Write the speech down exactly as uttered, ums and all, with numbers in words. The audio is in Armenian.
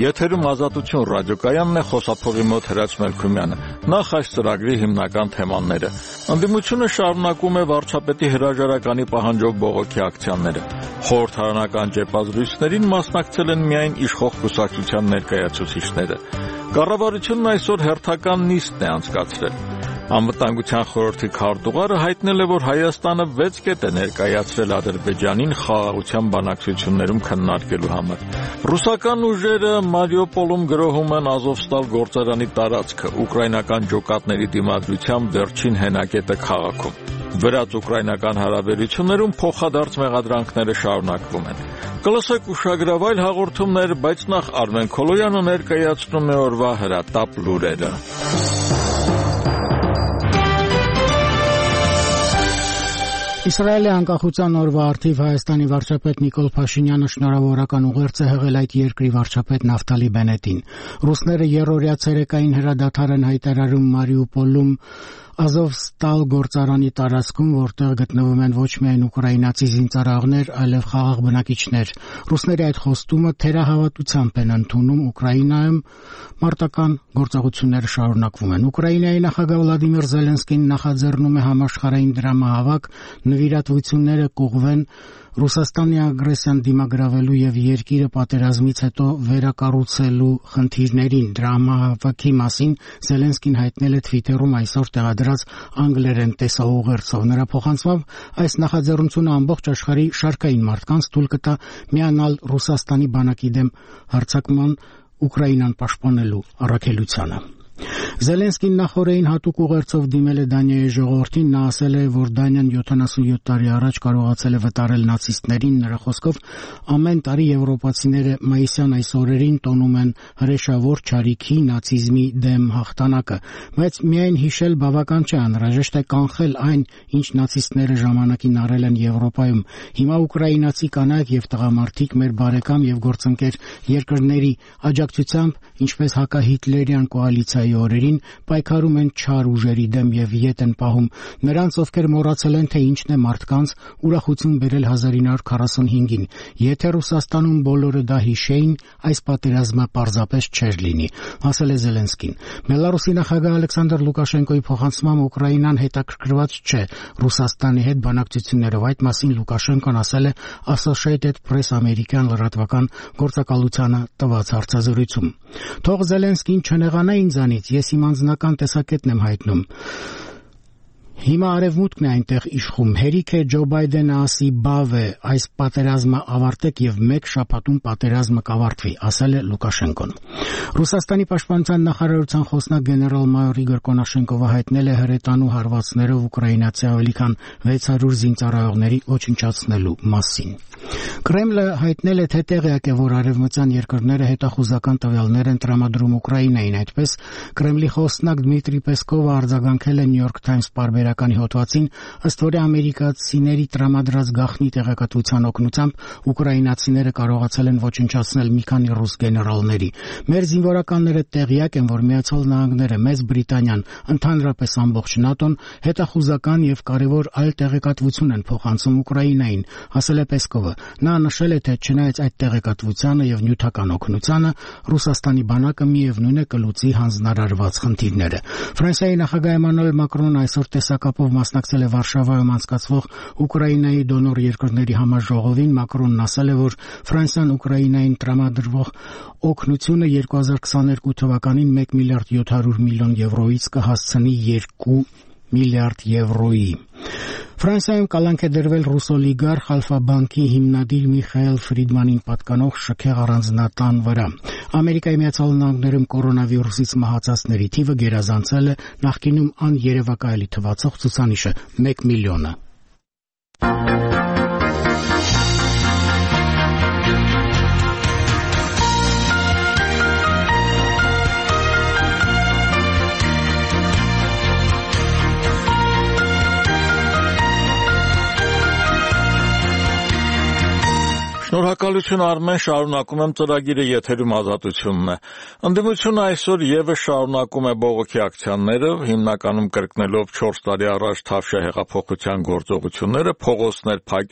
Եթերում Ազատություն ռադիոկայանն է, խոսափողի մոտ Հրաչ Մելքումյանը։ Նախ այս ծրագրի հիմնական թեմաները։ Ընդդիմությունը շարունակում է վարչապետի հրաժարականի պահանջով բողոքի ակցիաները։ Խորհրդարանական ճեպազրույցներին մասնակցել են միայն իշխող կուսակցության ներկայացուցիչները։ Կառավարությունն այսօր հերթական նիստն է անցկացրել։ Անվտանգության խորհրդի քարտուղարը հայտնել է, որ Հայաստանը վեց կետ է ներկայացրել Ադրբեջանին խաղաղության բանակցություններում քննարկելու համար։ Ռուսական ուժերը Մարիուպոլում գրոհում են Ազովստալ գործարանի տարածքը, ուկրաինական ջոկատների դիմադրությամբ վերջին հենակետը քաղաքում։ Վրաց-ուկրաինական հարաբերություններում փոխադարձ մեղադրանքները շարունակվում են։ Կլսեք ուշագրավայր հաղորդումներ, բայց նախ Արմեն Քոլոյանը ներկայացնում է օրվա հրատապ լուրերը։ Իսրայելի անկախության օրվա առթիվ Հայաստանի վարչապետ Նիկոլ Փաշինյանը շնորհավորական ուղերձ է հղել այդ երկրի վարչապետ Նավտալի Բենետին։ Ռուսները երրորդյա ցերեկային հրադադար են հայտարարում Մարիուպոլում Ազովստալ գործարանի տարածքում, որտեղ գտնվում են ոչ միայն ուկրաինացի զինծառայողներ, այլև խաղաղ բնակիչներ։ Ռուսների այդ խոստումը թերահավատությամբ են ընդունում, Ուկրաինայում մարտական գործողությունները շարունակվում են։ Ուկրաինայի նախագահ Վլադիմիր Զելենսկին նախաձեռնում է համաշխարհային դրամահավաք, նվիրատվությունները կուղղվեն Ռուսաստանի ագրեսիան դիմագրավելու եւ երկիրը պատերազմից հետո վերակառուցելու խնդիրներին։ Դրամահավաքի մասին Զելենսկին հայտնել է Twitter-ում այսօր տեղադրած անգլերեն տեսաուղերձով։ Նրա փոխանցմամբ այս նախաձեռնությունը ամբողջ աշխարհի շարքային մարդկանց թույլ կտա միանալ Ռուսաստանի բանակի դեմ հարձակման Ուկրաինան պաշտպանելու առաքելությանը։ Զելենսկին նախորդին հատուկ ուղերձով դիմել է Դանիայի ժողովրդին, նա ասել է, որ Դանիան յոթանասունյոթ տարի առաջ կարողացել է վտարել նացիստներին, նրա խոսքով ամեն տարի եվրոպացիները մայիսյան այս օրերին տոնում են հրեշավոր չարիքի նացիզմի դեմ հաղթանակը, բայց միայն հիշել բավական չէ, անհրաժեշտ է կանխել այն, ինչ նացիստները ժամանակին արել են Եվրոպայում։ Հիմա ուկրաինացի կանայք եւ տղամարդիկ մեր բարեկամ եւ գործընկեր երկրների աջակցությամբ, ինչպես հակահիտլերյան կոալիցիայի օրերին պայքարում են չար ուժերի դեմ եւ ետ են պահում նրանց, ովքեր մոռացել են, թե ինչն է մարդկանց ուրախություն բերել հազար ինը հարյուր քառասունհինգին։ Եթե Ռուսաստանում բոլորը դա հիշեին, այս պատերազմը պարզապես չէր լինի, ասել է Զելենսկին։ Բելարուսի նախագահ Ալեքսանդր Լուկաշենկոյի փոխանցմամբ Ուկրաինան հետաքրքրված չէ Ռուսաստանի հետ բանակցություններով։ Այդ մասին Լուկաշենկոն ասել է Associated Press ամերիկյան լրատվական գործակալությանը տված հարցազրույցում։ Թող Զելենսկին չնեղանա ինձանից, ես իմ անձնական տեսակետն եմ հայտնում։ Հիմա արևմուտքն է այնտեղ իշխում։ Հերիք է Ջո Բայդենը ասի բավ է, այս պատերազմը ավարտեք եւ մեկ շաբաթում պատերազմը կավարտվի, ասել է Լուկաշենկոն։ Ռուսաստանի պաշտպանության նախարարության խոսնակ գեներալ-մայոր Իգոր Կոնաշենկովը հայտնել է հրետանու հարվածներով ուկրաինացի ավելի քան վեց հարյուր զինծառայողների ոչնչացնելու մասին։ Կրեմլը հայտնել է, թե տեղյակ է, որ արևմտյան երկրները հետախուզական տվյալներ են տրամադրում Ուկրաինային։ Այդպես Կրեմլի խոսնակ Դմիտրի Պեսկովը արձագանքել է New York Times պարբերականի հոդվածին, ըստ որի ամերիկացիների տրամադրած գաղտնի տեղեկատվության օգնությամբ ուկրաինացիները կարողացել են ոչնչացնել մի քանի ռուս գեներալների։ Մեր զինվորականները տեղյակ են, որ Միացյալ Նահանգները, Մեծ Բրիտանիան, ընդհանրապես ամբողջ ՆԱՏՕ-ն հետախուզական եւ կարեւոր այլ տեղեկատվություն են փոխանցում Ուկրաինային, ասել է Պեսկովը։ Նա նշել է, թե չնայած այդ տեղեկատվությանը եւ նյութական օգնությանը, Ռուսաստանի բանակը միևնույն է կլուծի հանձնարարված խնդիրները։ Ֆրանսիայի նախագահ Էմանուել Մակրոնն այսօր տեսակապով մասնակցել է Վարշավայում անցկացվող Ուկրաինայի դոնոր երկրների համաժողովին։ Մակրոնն ասել է, որ Ֆրանսիան Ուկրաինային տրամադրվող օգնությունը երկու հազար քսաներկու թվականին մեկ միլիարդ յոթ հարյուր միլիոն եվրոից կհասցնի երկու միլիարդ եվրոյի։ Ֆրանսիայում կալանք է դրվել ռուս օլիգարխ Ալֆա-բանկի հիմնադիր Միխայել Ֆրիդմանին պատկանող շքեղ առանձնատան վրա։ Ամերիկայի Միացյալ Նահանգներում կորոնավիրուսից մահացածների թիվը գերազանցել է նախկինում աներևակայելի թվացող ցուցանիշը մեկ միլիոնը։ Շնորհակալություն Արմեն, շարունակում եմ ծրագիրը, եթերում Ազատությունն է։ Ընդդիմությունը այսօր եւս շարունակում է բողոքի ակցիաները, հիմնականում կրկնելով չորս տարի առաջ Թավշյա հեղափոխության գործողությունները, փողոցներ փակ